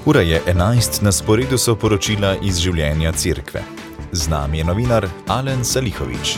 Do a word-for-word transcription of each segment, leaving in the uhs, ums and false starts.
Ura je enajst, na sporedu so poročila iz življenja cerkve. Z nami je novinar Alen Salihović.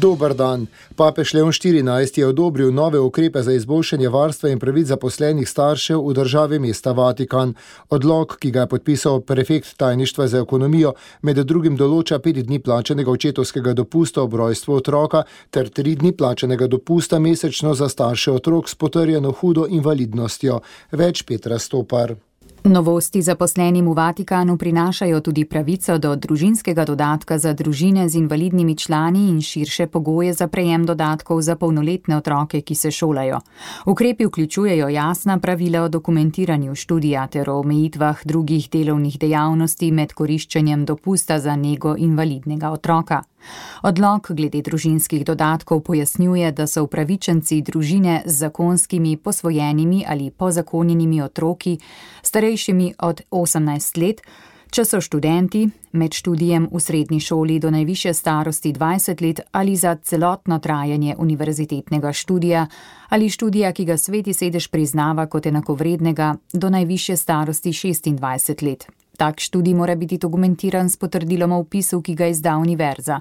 Dober dan. Papež Leon štirinajsti je odobril nove ukrepe za izboljšanje varstva in pravic zaposlenih staršev v državi mesta Vatikan. Odlok, ki ga je podpisal prefekt tajništva za ekonomijo, med drugim določa pet dni plačanega očetovskega dopusta ob rojstvu otroka ter tri dni plačanega dopusta mesečno za starše otrok s potrjeno hudo invalidnostjo. Več Petra Stopar. Novosti zaposlenim v Vatikanu prinašajo tudi pravico do družinskega dodatka za družine z invalidnimi člani in širše pogoje za prejem dodatkov za polnoletne otroke, ki se šolajo. Ukrepi vključujejo jasna pravila o dokumentiranju študija ter o omejitvah drugih delovnih dejavnosti med koriščenjem dopusta za nego invalidnega otroka. Odlok glede družinskih dodatkov pojasnjuje, da so upravičenci družine z zakonskimi, posvojenimi ali pozakonjenimi otroki starejšimi od osemnajst let, če so študenti med študijem v srednji šoli do najvišje starosti dvajset let ali za celotno trajanje univerzitetnega študija ali študija, ki ga Sveti sedež priznava kot enakovrednega do najvišje starosti šestindvajset let. Tak študij mora biti dokumentiran s potrdilom o vpisu, ki ga izda univerza.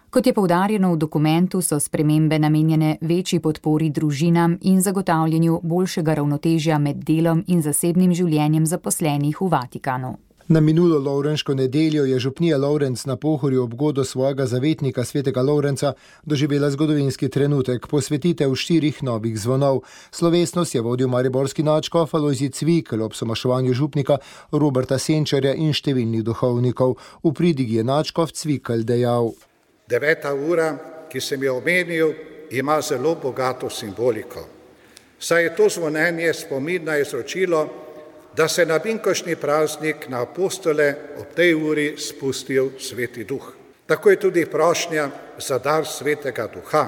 Kot je poudarjeno v dokumentu, so spremembe namenjene večji podpori družinam in zagotavljanju boljšega ravnotežja med delom in zasebnim življenjem zaposlenih v Vatikanu. Na minulo Lovrenško nedeljo je župnija Lovrenc na Pohorju ob godu svojega zavetnika svetega Lovrenca doživela zgodovinski trenutek, posvetitev štirih novih zvonov. Slovesnost je vodil mariborski nadškof Alojzij Cvikl ob somaševanju župnika Roberta Senčarja in številnih duhovnikov. V pridigi je nadškof Cvikl dejal: Deveta ura, ki sem jo omenil, ima zelo bogato simboliko. Saj je to zvonjenje spomin na izročilo, da se na binkošnji praznik na apostole ob tej uri spustil Sveti Duh. Tako je tudi prošnja za dar Svetega Duha,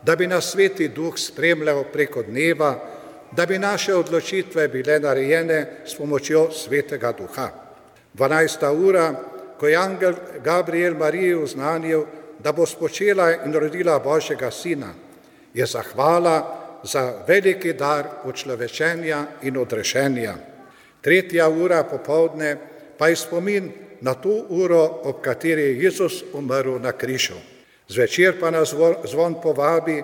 da bi nas Sveti Duh spremljal preko dneva, da bi naše odločitve bile narejene s pomočjo Svetega Duha. Dvanajsta ura, ko je angel Gabriel Mariji oznanil, da bo spočela in rodila Božjega sina, je zahvala za veliki dar učlovečenja in odrešenja. Tretja ura popoldne pa je spomin na to uro, ob kateri je Jezus umrl na križu. Zvečer pa nas zvon povabi,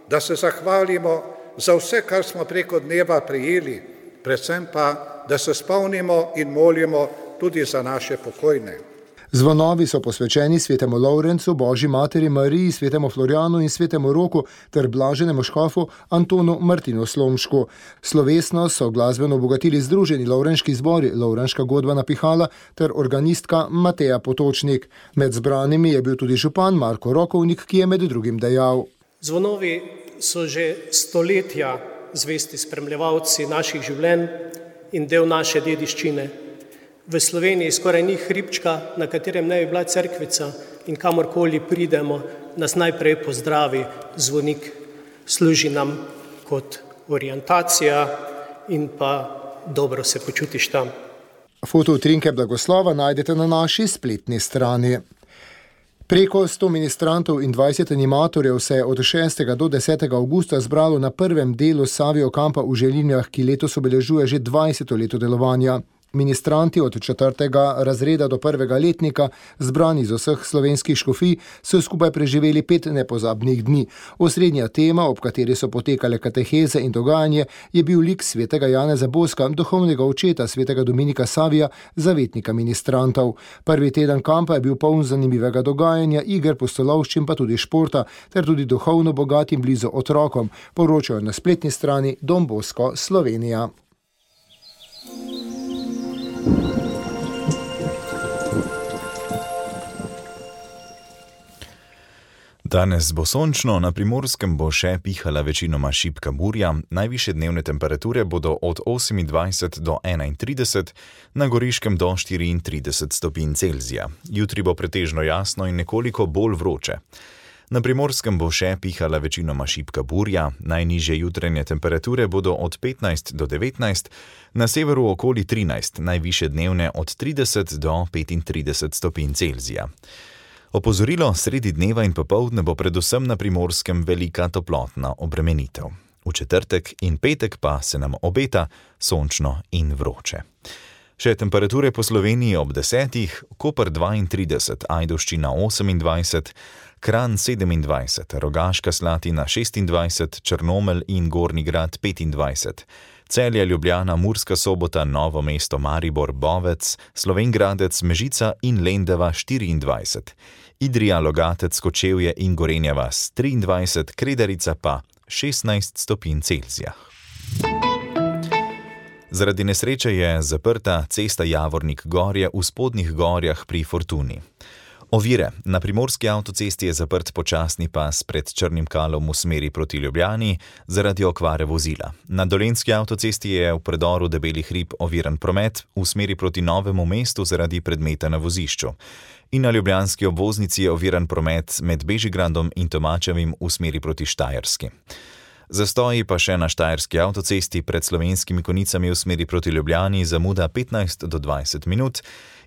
da se zahvalimo za vse, kar smo preko dneva prejeli, predvsem pa, da se spomnimo in molimo tudi za naše pokojne. Zvonovi so posvečeni svetemu Lovrencu, Božji materi Mariji, svetemu Florjanu in svetemu Roku ter blaženemu škofu Antonu Martinu Slomšku. Slovesnost so glasbeno obogatili združeni lovrenški zbori Lovrenška godba Pihala ter organistka Mateja Potočnik. Med zbranimi je bil tudi župan Marko Rokovnik, ki je med drugim dejal: Zvonovi so že stoletja zvesti spremljevalci naših življenj in del naše dediščine. V Sloveniji skoraj ni hribčka, na katerem ne bi bila cerkvica, in kamorkoli pridemo, nas najprej pozdravi zvonik. Služi nam kot orientacija in pa dobro se počutiš tam. Fotoutrinke blagoslova najdete na naši spletni strani. Preko sto ministrantov in dvajset animatorjev se je od šestega do desetega avgusta zbralo na prvem delu Savio kampa v Želinjah, ki letos obeležuje že dvajseto leto delovanja. Ministranti od četrtega razreda do prvega letnika, zbrani iz vseh slovenskih škofij, so skupaj preživeli pet nepozabnih dni. Osrednja tema, ob kateri so potekale kateheze in dogajanje, je bil lik svetega Janeza Boska, duhovnega očeta svetega Dominika Savija, zavetnika ministrantov. Prvi teden kampa je bil poln zanimivega dogajanja, iger, pustolovščin pa tudi športa, ter tudi duhovno bogat in blizu otrokom, poročajo na spletni strani Don Bosco Slovenija. Danes bo sončno, na Primorskem bo še pihala večinoma šibka burja, najvišje dnevne temperature bodo od osemindvajset do enaintrideset, na Goriškem do štiriintrideset stopinj Celzija. Jutri bo pretežno jasno in nekoliko bolj vroče. Na Primorskem bo še pihala večinoma šibka burja, najnižje jutranje temperature bodo od petnajst do devetnajst, na severu okoli trinajst, najvišje dnevne od trideset do petintrideset stopinj Celzija. Opozorilo: sredi dneva in popoldne bo predvsem na Primorskem velika toplotna obremenitev. v četrtek in petek pa se nam obeta sončno in vroče. Še temperature po Sloveniji ob desetih, Koper dvaintrideset, Ajdovščina osemindvajset, Kranj sedemindvajset, Rogaška Slatina šestindvajset, Črnomelj in Gornji Grad petindvajset, Celje, Ljubljana, Murska Sobota, Novo mesto, Maribor, Bovec, Slovenj Gradec, Mežica in Lendava štiriindvajset, Idrija, Logatec, Kočevje in Gorenja vas triindvajset, Kredarica pa šestnajst stopinj Celzija. Zaradi nesreče je zaprta cesta Javornik-Gorje v Spodnjih Gorjah pri Fortuni. Ovire. Na primorski avtocesti je zaprt počasni pas pred Črnim Kalom v smeri proti Ljubljani zaradi okvare vozila. Na dolenjski avtocesti je v predoru Debeli hrib oviran promet v smeri proti Novemu mestu zaradi predmeta na vozišču. In na ljubljanski obvoznici je oviran promet med Bežigradom in Tomačevim v smeri proti Štajerski. Zastoji pa še na štajerski avtocesti pred Slovenskimi Konjicami v smeri proti Ljubljani zamuda petnajst do dvajset minut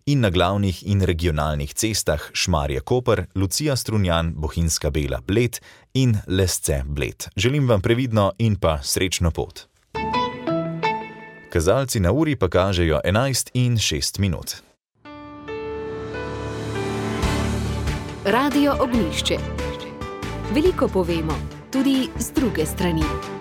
in na glavnih in regionalnih cestah Šmarje-Koper, Lucija-Strunjan, Bohinjska Bela Bled in Lesce-Bled. Želim vam previdno in pa srečno pot. Kazalci na uri pa kažejo enajst in šest minut. Radio Ognjišče. Veliko povemo, tudi z druge strani.